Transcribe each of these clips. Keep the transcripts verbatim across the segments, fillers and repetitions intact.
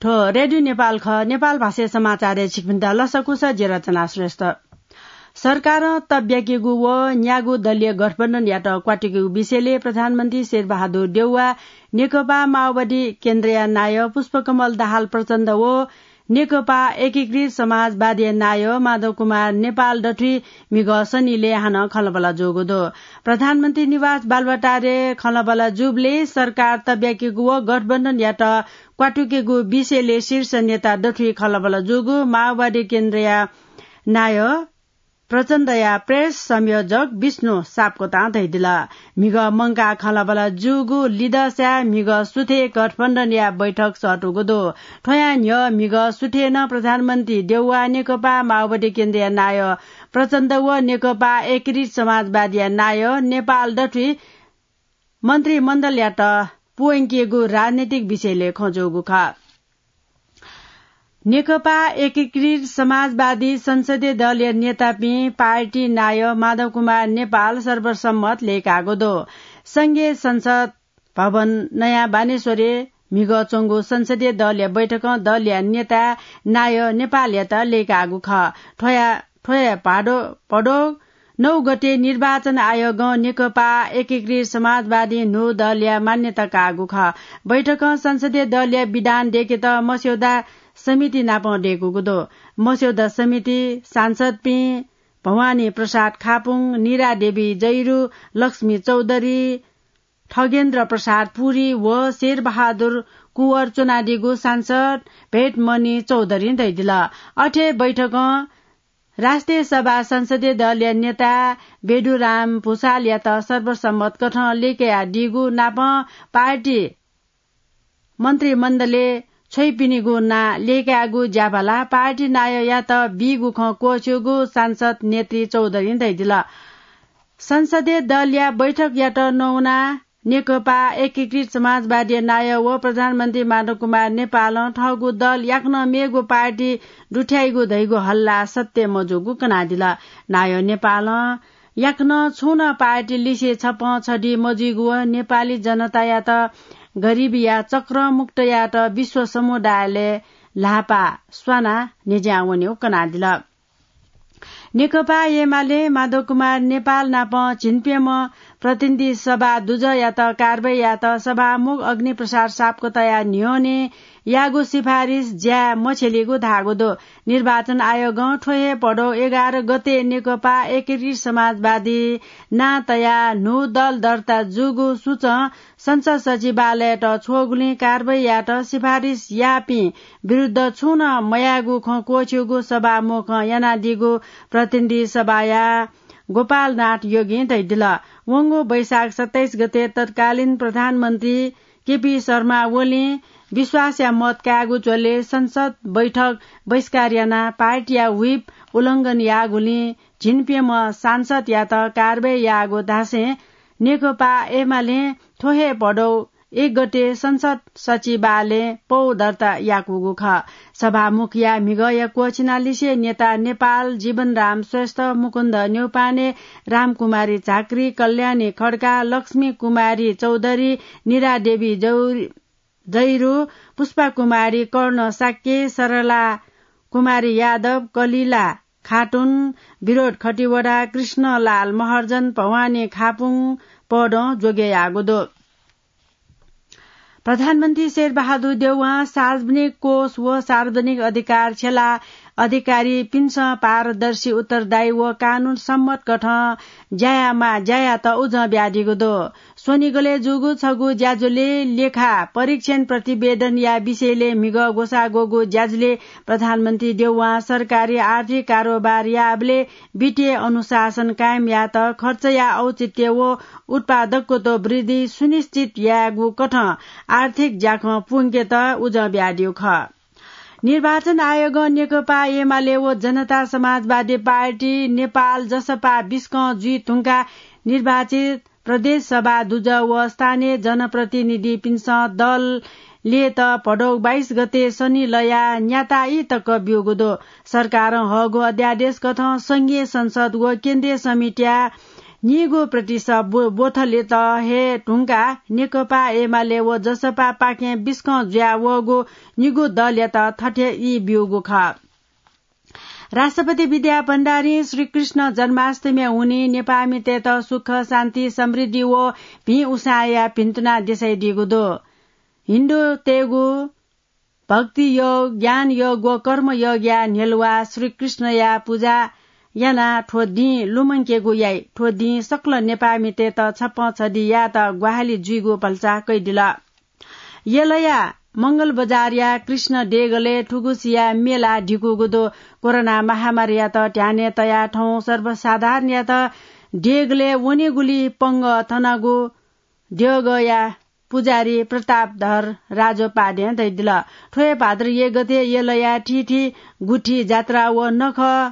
थ्व रेडियो नेपाल खः। नेपाल भाषाय् समाचारय् छिकपिन्त लसकुस, जि रचना श्रेष्ठ। सरकारं तब्याकेगु व न्यागू दलीय गठबन्धनयात क्वात्युकेगु विषयले प्रधानमन्त्री शेरबहादुर देउवा, नेकपा माओवादी केन्द्रया नायः पुष्पकमल दाहाल प्रचण्ड व नेकपा एकीकृत समाजवादीया नायः माधव कुमार नेपाल दथुइ म्हिगः शनिलय् हानं खँल्हाबल्हा जूगु दु। प्रधानमन्त्री निवास बालुवाटारय् खँल्हाबल्हा जूबलय् सरकार तब्याकेगु व गठबन्धनयात क्वात्युकेगु विषयले शीर्ष नेता दथुइ खँल्हाबल्हा जूगु माओवादी केन्द्रया नायः प्रचण्डया प्रेस संयोजक विष्णु सापकोटां धयादिल। म्हिगः मंकाः खँल्हाबल्हा जूगु लिदँसाय् म्हिगः सुथय् गठबन्धनया बैठक सःतूगु दु। थ्वयां न्ह्यः म्हिगः सुथय् नं प्रधानमन्त्री देउवा, नेकपा माओवादी केन्द्रया नायः प्रचण्ड व नेकपा एकीकृत समाजवादीया नायः नेपाल दथुइ मन्त्रीमण्डलयात पुवंकेगु राजनीतिक विषयले खँ जूगु खः। नेकपा एकीकृत समाजवादी संसदीय दलया नेतापिं पार्टी नायः माधव कुमार नेपाल सर्वसम्मत लय्काःगु दु। संघीय संसद भवन नयाँ बानेश्वरय् म्हिगः च्वंगु संसदीय दलया बैठकं दलया नेता नायः नेपालयात लय्काःगु खः। थ्वया, थ्वया भादो, भदौ नौ गते निर्वाचन आयोगं नेकपा एकीकृत समाजवादी न्हू दलया मान्यता काःगु खः। बैठकं संसदीय दलया विधान दय्केत मस्यौदा समिति नापं दय्कूगु दु। मस्यौदा समिति सांसदपिं भवानी प्रसाद खापुङ, निरा देवी जैरु, लक्ष्मी चौधरी, खगेन्द्र प्रसाद पुरी व शेरबहादुर कुँवर च्वनादीगु सांसद भेटमणि चौधरीं धयादिल। अथे बैठकं राष्ट्रिय सभा संसदीय दलया नेता बेदुराम भुसालयात सर्वसम्मत कथं लय्कयादीगु नापं पार्टी मन्त्रीमण्डलय् छ्वइपिनिगु नां लय्कायेगु ज्याभाला पार्टी नायःयात बीगु खँ क्वःछ्यूगु सांसद नेत्री चौधरीं धयादिल। संसदीय दलया बैठकयात नवानाः नेकपा एकीकृत समाजवादीया नायः व प्रधानमन्त्री माधव कुमार नेपालं थःगु दल याकनं मेगु पार्टी दुथ्याइगु धइगु हल्ला सत्य मजूगु कनादिल। नायः नेपालं याकनं छुं नं पार्टी लिसे छपं छधी मजुइगु व नेपाली जनतायात गरिबीया चक्रमुक्त यायेत विश्व समुदायलय् ल्हापा स्वानाः न्ह्यज्यां वनेगु कनादिल। नेकपा एमाले माधव कुमार नेपाल नाप झिंप्यम्ह प्रतिनिधि सभा दुजःयात कारवाही यायेत सभामुख अग्निप्रसाद सापकोटाया न्ह्यःने याःगु सिफारिस ज्याय् मछ्यलीगु धाःगु दु। निर्वाचन आयोगं थ्व हे भदौ एघार गते नेकपा एकीकृत समाजवादी नां तयाः न्हू दल दर्ता जूगु सूचं संसद सचिवालययात छ्वःगुलिं कारवाही यायेत सिफारिस याःपिं विरुद्ध छुं नं मयाःगु खँ क्वःछ्यूगु सभामुखं यानादीगु प्रतिनिधि सभाया गोपालनाथ योगीं धयादिल। वंगु वैशाख सत्ताइस गते तत्कालीन प्रधानमन्त्री केपी शर्मा ओलीं विश्वासया मत कायेगु झ्वलय् संसद बैठक बहिष्कार यानाः पार्टीया व्हिप उल्लंघन याःगुलिं झिंप्यम्ह सांसदयात कारवाही याःगु धासें नेकपा एमालें थ्व हे भदौ एक गते संसद सचिवालयय् पौ दर्ता याकूगु खः। सभामुखया म्हिगःया क्वःछिनालिसे नेता नेपाल जीवनराम श्रेष्ठ, मुकुन्द न्यौपाने, रामकुमारी झाँक्री, कल्याणी खड्का, लक्ष्मी कुमारी चौधरी, निरा देवी जौ-, जैरु, पुष्पा कुमारी कर्ण शाक्य, सरला कुमारी यादव, कलिला खातुन, विरोध खतिवडा, कृष्णलाल महर्जन, भवानी खापुङ पदं ज्वगे याःगु दु। प्रधानमन्त्री शेरबहादुर देउवां सार्वजनिक कोष व सार्वजनिक अधिकार छ्यला अधिकारीपिन्सं पारदर्शी, उत्तरदायी व कानून सम्मत कथं ज्या यायेमाः ज्यायात उजं बियादीगु दु। स्वनिगलय् जूगु छगू ज्याझ्वलय् लेखा परीक्षण प्रतिवेदनया विषयलय् म्हिगः ग्वसाः ग्वःगु ज्याझ्वलय् प्रधानमन्त्री देउवां सरकारी आर्थिक कारोबार याःबलय् वित्तीय अनुशासन कायम यायेत, खर्चया औचित्य व उत्पादकत्व वृद्धि सुनिश्चित यायेगु कथं आर्थिक ज्याखँ पुंकेत उजं बियादीगु खः। निर्वाचन आयोगं नेकपा एमाले व जनता समाजवादी पार्टी नेपाल, जसपा, बिस्कं जुइ धुंकाः निर्वाचित प्रदेश सभा दुजः व स्थानीय जनप्रतिनिधिपिन्सं दल लय्त भदौ बाइस गते शनि लयाः न्याताइ तक ब्यूगु दु। सरकारं हःगु अध्यादेश कथं संघीय संसद व केन्द्रीय समितिया निगू प्रतिशत बो-, बोथलेत हे धुंकाः नेकपा एमाले व जसपापाखें बिस्कं जुया वःगु निगू दलयात थथे ई ब्यूगु खः। राष्ट्रपति विद्या भण्डारीं श्रीकृष्ण जन्माष्टमीया हुनिं नेपाःमितय्त सुख, शान्ति, समृद्धि व भिं उसाँय्या भिन्तुना देछाइदीगु दु। हिन्दूतय्गु भक्ति योग, ज्ञान योग व कर्म योगया न्ह्यलुवा श्रीकृष्णया पुजा यानाः थ्व दिं लुमंकेगु याइ। थ्व दिं सकल नेपाःमितय्त छप्पँ छधि यायेत ग्वाहालि जुइगु भलसा कयादिल। यलया मंगल बजारया कृष्ण देगलय् थुगुसिया मेला धिकूगु दु। कोरोना महामारीयात ध्यानय् तयाः थौं सर्वसाधारणयात देगलय् वनेगुली पंगः थनागु देगःया पुजारी प्रतापधर राजोपाध्यायं धयादिल। थ्व हे भाद्र एक गते यलया थीथी गुठी जात्रा व नखः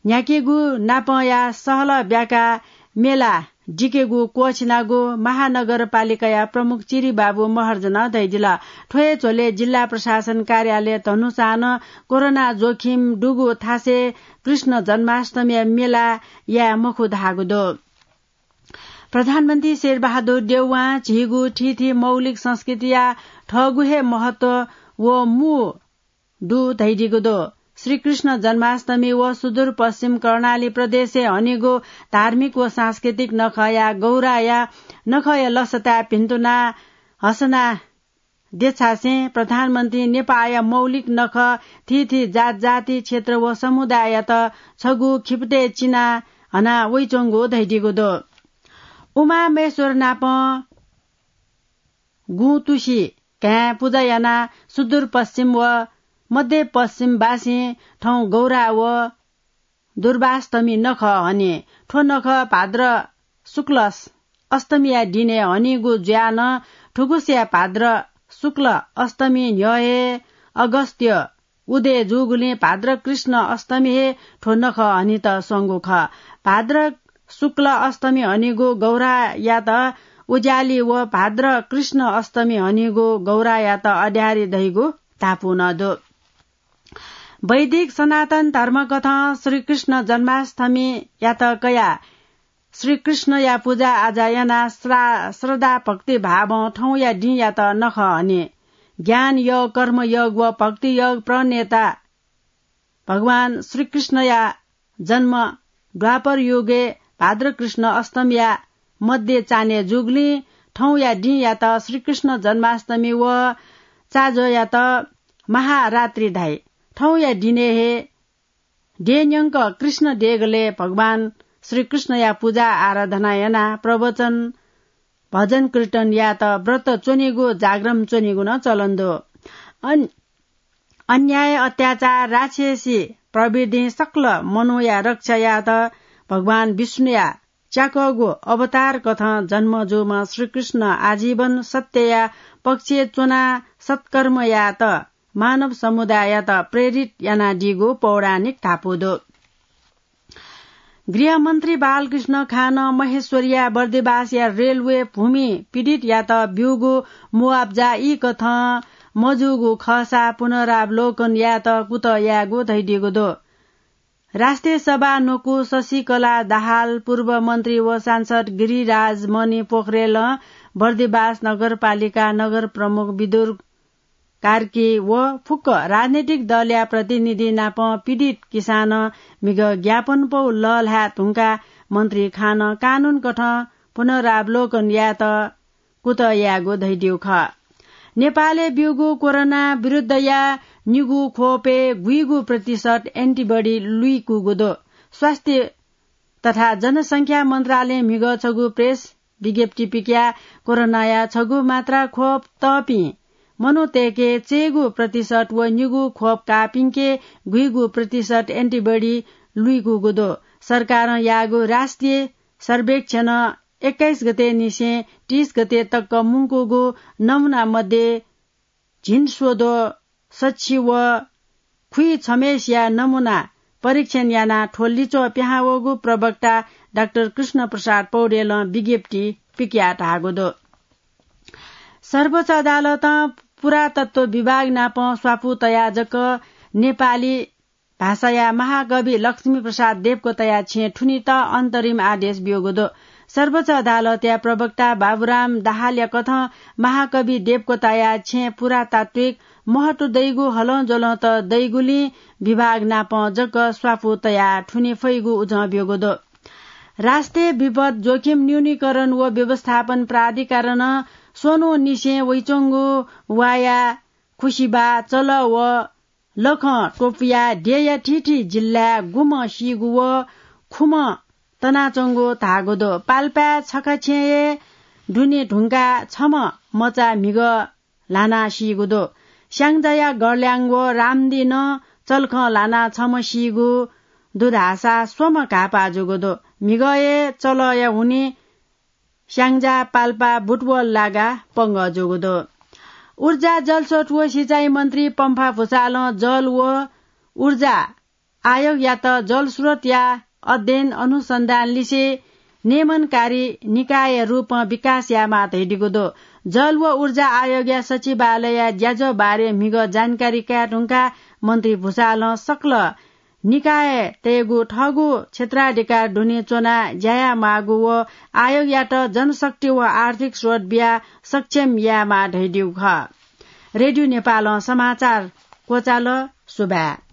न्ह्याकेगु नापंया सहलह ब्याकाः मेला दिकेगु क्वःछिनागु महानगरपालिकाया प्रमुख चिरिबाबु महर्जनं धयादिल। थ्व हे झ्वलय् जिल्ला प्रशासन कार्यालय धनुषां नं कोरोना जोखिम दुगु थासय् कृष्ण जन्माष्टमीया मेला याये मखु धाःगु दु। प्रधानमन्त्री शेरबहादुर देउवां झीगु थीथी मौलिक संस्कृतिया थःगु हे महत्व व मू दु धयादीगु दु। श्रीकृष्ण जन्माष्टमी व सुदूरपश्चिम कर्णाली प्रदेशय् हनीगु धार्मिक व सांस्कृतिक नखःया गौराया नखःया लसताय् भिन्तुना हसना देछासें प्रधानमन्त्री नेपाःया मौलिक नखः थीथी जात जाति क्षेत्र व समुदाययात छगू खिपतय् चिना हना वइच्वंगु धयादीगु दु। उमामहेश्वर नाप गुंतुसी घाँय् पुजा यानाः सुदूरपश्चिम व मध्यपश्चिमवासीं थौं गौरा व दुर्वाष्टमी नखः हनी। थ्व नखः भाद्र शुक्ल अष्टमीया दिनय् हनीगु जुयाः नं थुगुसिया भाद्र शुक्ल अष्टमी न्ह्यः हे अगस्त्य उदय जूगुलिं भाद्र कृष्ण अष्टमी हे थ्व नखः हनेत स्वंगु खः। भाद्र शुक्ल अष्टमी हनीगु गौरायात उज्याली व भाद्र कृष्ण अष्टमी हनीगु गौरायात अड्यारी धइगु धापू नं दु। वैदिक सनातन धर्मकथं श्रीकृष्ण जन्माष्टमीयात कयाः श्रीकृष्णया पुजा आजा यानाः श्रा-, श्रद्धा भक्ति भावं थौंया दिंयात नखः हनी। ज्ञान योग, कर्म योग व भक्ति योग प्रणेता भगवान श्रीकृष्णया जन्म द्वापर युगय् भाद्र कृष्ण अष्टमीया मध्य चान्हय् जूगुलिं थौंया दिंयात श्रीकृष्ण जन्माष्टमी व चाजोयात महारात्रि धाइ। थौंया दिनय् हे देय्‌न्यंक कृष्ण देगलय् भगवान श्रीकृष्णया पुजा आराधना यानाः प्रवचन, भजन कीर्तन यायेत व्रत च्वनेगु, जागरण च्वनेगु नं चलन दु। अन-, अन्याय, अत्याचार, राक्षसी प्रवृत्तिं सकल मनूया रक्षा यायेत भगवान विष्णुया च्याकःगु अवतार कथं जन्म जूम्ह श्रीकृष्ण आजीवन सत्यया पक्षय् च्वनाः सत्कर्म यायेत मानव समुदाययात प्रेरित यानादीगु पौराणिक धापू दु। गृहमन्त्री बालकृष्ण खानं महेश्वरया बर्दिवासया रेलवे भूमि पीडितयात ब्यूगु मुआब्जा ई कथं मजूगु खःसा पुनरावलोकन यायेत कुतः यायेगु धयादीगु दु। राष्ट्रिय सभा न्वकू शशिकला दाहाल, पूर्व मन्त्री व सांसद गिरिराज मणि पोखरेलं बर्दिवास नगरपालिका नगर प्रमुख विदुर कार्की व फुक्क राजनैतिक दलया प्रतिनिधि नाप पीडित किसानं म्हिगः ज्ञापनपौ लःल्हाये धुंकाः मन्त्री खानं कानून कथं पुनरावलोकन यायेत कुतः यायेगु धयादीगु खः। नेपालय् ब्यूगु कोरोना विरुद्धया निगू खोपय् गुइगु प्रतिशत antibody लुइकूगु दु? स्वास्थ्य तथा जनसंख्या मन्त्रालयं म्हिगः छगू प्रेस विज्ञप्ति पिकयाः कोरोनाया छगू मात्रा खोप तःपिं मनूतय्के चय्गू प्रतिशत व निगू खोप काःपिंके गुइगू प्रतिशत antibody लुइकूगु दु। सरकारं याःगु राष्ट्रिय सर्वेक्षणं एक्काइस गते निसें तीस गते तक मुंकूगु नमूना मध्ये झिंस्वद्वः सछि व खुइछम्हेस या नमूना परीक्षण यानाः थ्व लिच्वः पिहां वःगु प्रवक्ता डाक्टर कृष्ण प्रसाद पौडेलं विज्ञप्ति पिकयाः धाःगु दु। सर्वोच्च अदालतं पुरातत्व विभाग नाप स्वापू तयाः जक नेपाली भाषाया महाकवि लक्ष्मी प्रसाद देवकोटाया छेँ थुनीत अन्तरिम आदेश ब्यूगु दु। सर्वोच्च अदालतया प्रवक्ता बाबुराम दाहालया कथं महाकवि देवकोटाया छेँ पुरातात्विक महत्व दइगु हलंज्वलंत दइगुलिं विभाग नाप जक स्वापू तयाः थुने फइगु उजं ब्यूगु दु। राष्ट्रिय विपद जोखिम न्यूनीकरण व व्यवस्थापन प्राधिकरणं स्वन्हुनिसें वइच्वंगु वाया, खुसिबा, चलः व लखं त्वपुया देय्‌या थीथी जिल्लाय् गुम्ह सीगु व खुम्ह तनाच्वंगु धाःगु दु। पाल्पाय् छखा छेँय् दुने धुंकाः छम्ह मचा म्हिगः ल्हानाः सीगु दु। स्याङ्जाया गर्ल्याङ व रामदी नं चलखं ल्हानाः छम्ह सीगु दु धाःसा स्वम्ह घाःपाः जूगु दु। म्हिगःया चलःया हुनिं स्याङ्जा, पाल्पा, बुटवल लागाः पंगः जूगु दु। ऊर्जा, जलस्रोत व सिँचाइ मन्त्री पम्फा भुसालं जल व ऊर्जा आयोगयात जलस्रोतया अध्ययन अनुसन्धान लिसे नियमनकारी निकायया रूपं विकास यायेमाः धयादीगु दु। जल व ऊर्जा आयोगया सचिवालयया ज्याझ्वः बारे म्हिगः जानकारी काये धुंकाः मन्त्री भुसालं सकल निकायतय्‌गु थःगु क्षेत्राधिकार दुने च्वनाः ज्या यायेमाःगु व आयोगयात जनशक्ति व आर्थिक स्रोत बियाः सक्षम यायेमाः धयादीगु खः। रेडियो नेपालं समाचार क्वचाल। सुभाय्।